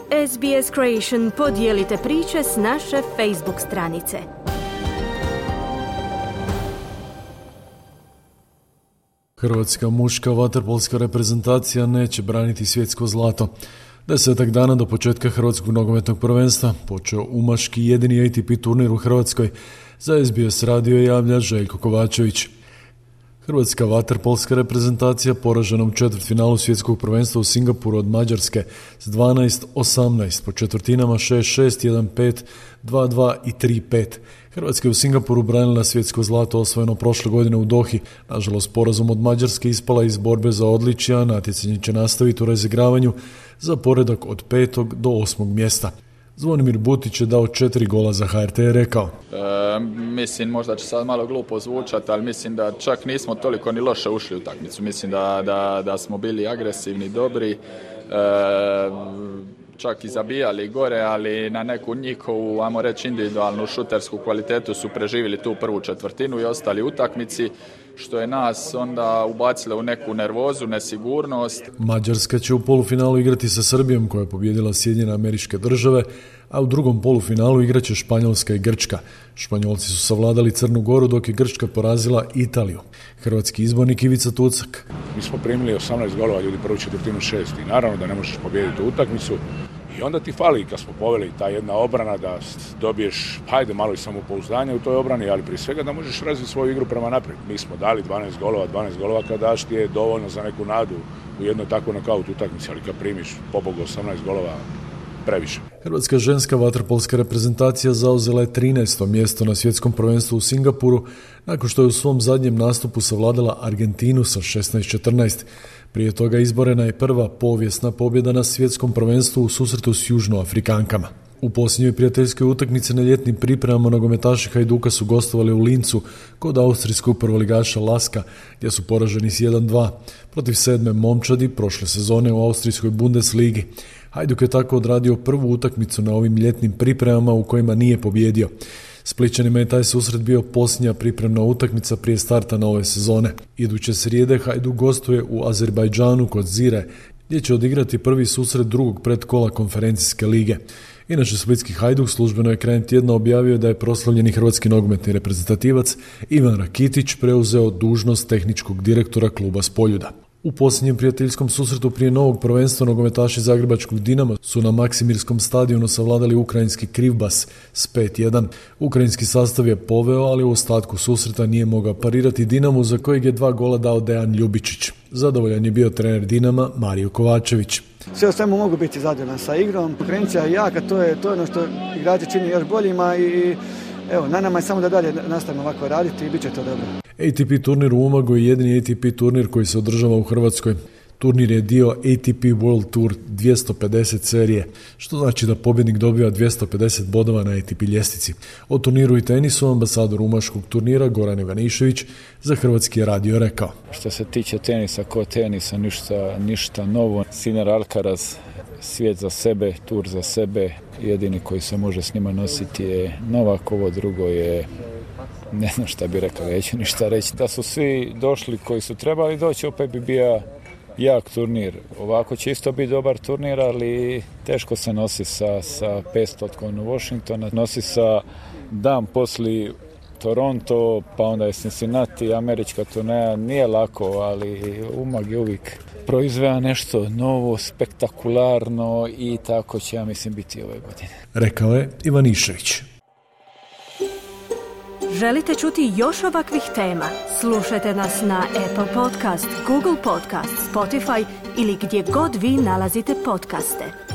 SBS Creation podijelite priče s naše Facebook stranice. Hrvatska muška vaterpolska reprezentacija neće braniti svjetsko zlato. 10 dana do početka Hrvatskog nogometnog prvenstva počeo umaški jedini ATP turnir u Hrvatskoj. Za SBS radio javlja Željko Kovačević. Hrvatska vaterpolska reprezentacija poražena u četvrtfinalu svjetskog prvenstva u Singapuru od Mađarske s 12-18 po četvrtinama 6-6, 1-5, 2-2 i 3-5. Hrvatska je u Singapuru branila svjetsko zlato osvojeno prošle godine u Dohi. Nažalost, porazom od Mađarske ispala iz borbe za odličja, natjecanje će nastaviti u razigravanju za poredak od 5. do 8. mjesta. Zvonimir Butić je dao 4 gola za HRT i rekao: Mislim, možda će sad malo glupo zvučati, ali mislim da čak nismo toliko ni loše ušli u utakmicu. Mislim da smo bili agresivni, dobri, čak i zabijali gore, ali na neku njihovu, ajmo reći, individualnu šutersku kvalitetu su preživjeli tu prvu četvrtinu i ostali u utakmici, što je nas onda ubacilo u neku nervozu, nesigurnost. Mađarska će u polufinalu igrati sa Srbijom, koja je pobijedila Sjedinjene Američke Države, a u drugom polufinalu igraće Španjolska i Grčka. Španjolci su savladali Crnu Goru, dok je Grčka porazila Italiju. Hrvatski izbornik Ivica Tucak: Mi smo primili 18 golova, ljudi, prvu četvrtinu 6 i naravno da ne možeš pobijediti u utakmicu. I onda ti fali, kad smo poveli, ta jedna obrana, da dobiješ, hajde, malo i samopouzdanje u toj obrani, ali prije svega da možeš razviti svoju igru prema naprijed. Mi smo dali 12 golova kad daš ti je dovoljno za neku nadu u jednoj takvoj nokaut utakmici, ali kad primiš pobogu 18 golova, previše. Hrvatska ženska vaterpolska reprezentacija zauzela je 13. mjesto na svjetskom prvenstvu u Singapuru, nakon što je u svom zadnjem nastupu savladala Argentinu sa 16-14. Prije toga izborena je prva povijesna pobjeda na svjetskom prvenstvu u susretu s Južnoafrikankama. U posljednjoj prijateljskoj utakmici na ljetnim pripremama nogometaši Hajduka su gostovali u Lincu kod austrijskog prvoligaša Laska, gdje su poraženi s 1-2 protiv 7. momčadi prošle sezone u austrijskoj Bundesligi. Hajduk je tako odradio prvu utakmicu na ovim ljetnim pripremama u kojima nije pobjedio. Splićanima je taj susret bio posljednja pripremna utakmica prije starta nove sezone. Iduće srijede Hajduk gostuje u Azerbajdžanu kod Zire, gdje će odigrati prvi susret drugog predkola konferencijske lige. Inače, splitski Hajduk službeno je krajem tjedna objavio da je proslavljeni hrvatski nogometni reprezentativac Ivan Rakitić preuzeo dužnost tehničkog direktora kluba s Poljuda. U posljednjem prijateljskom susretu prije novog prvenstva nogometaši zagrebačkog Dinama su na Maksimirskom stadionu savladali ukrajinski Krivbas s 5-1. Ukrajinski sastav je poveo, ali u ostatku susreta nije mogao parirati Dinamu, za kojeg je 2 gola dao Dejan Ljubičić. Zadovoljan je bio trener Dinama Mario Kovačević. Sve o svemu mogu biti zadovoljan sa igrom. Konkurencija je jaka, to je ono što igrači čini još boljima i evo, na nama je samo da dalje nastavimo ovako raditi i bit će to dobro. ATP turnir u Umagu je jedini ATP turnir koji se održava u Hrvatskoj. Turnir je dio ATP World Tour 250 serije, što znači da pobjednik dobiva 250 bodova na ATP ljestvici. O turniru i tenisu ambasador umaškog turnira Goran Ivanišević za Hrvatski radio rekao: Što se tiče tenisa, ko tenisa, ništa novo. Sinner Alcaraz, svijet za sebe, tur za sebe. Jedini koji se može s njima nositi je Novak, ovo drugo je, ne znam šta bi rekao, neću ništa reći. Da su svi došli koji su trebali doći, opet bi bio jak turnir. Ovako će isto biti dobar turnir, ali teško se nosi sa 500 u Washingtona. Nosi sa dan poslije Toronto, pa onda je Cincinnati, američka turneja. Nije lako, ali Umag je uvijek proizveo nešto novo, spektakularno i tako će, ja mislim, biti ove godine. Rekao je Ivanišević. Želite čuti još ovakvih tema? Slušajte nas na Apple Podcast, Google Podcast, Spotify ili gdje god vi nalazite podcaste.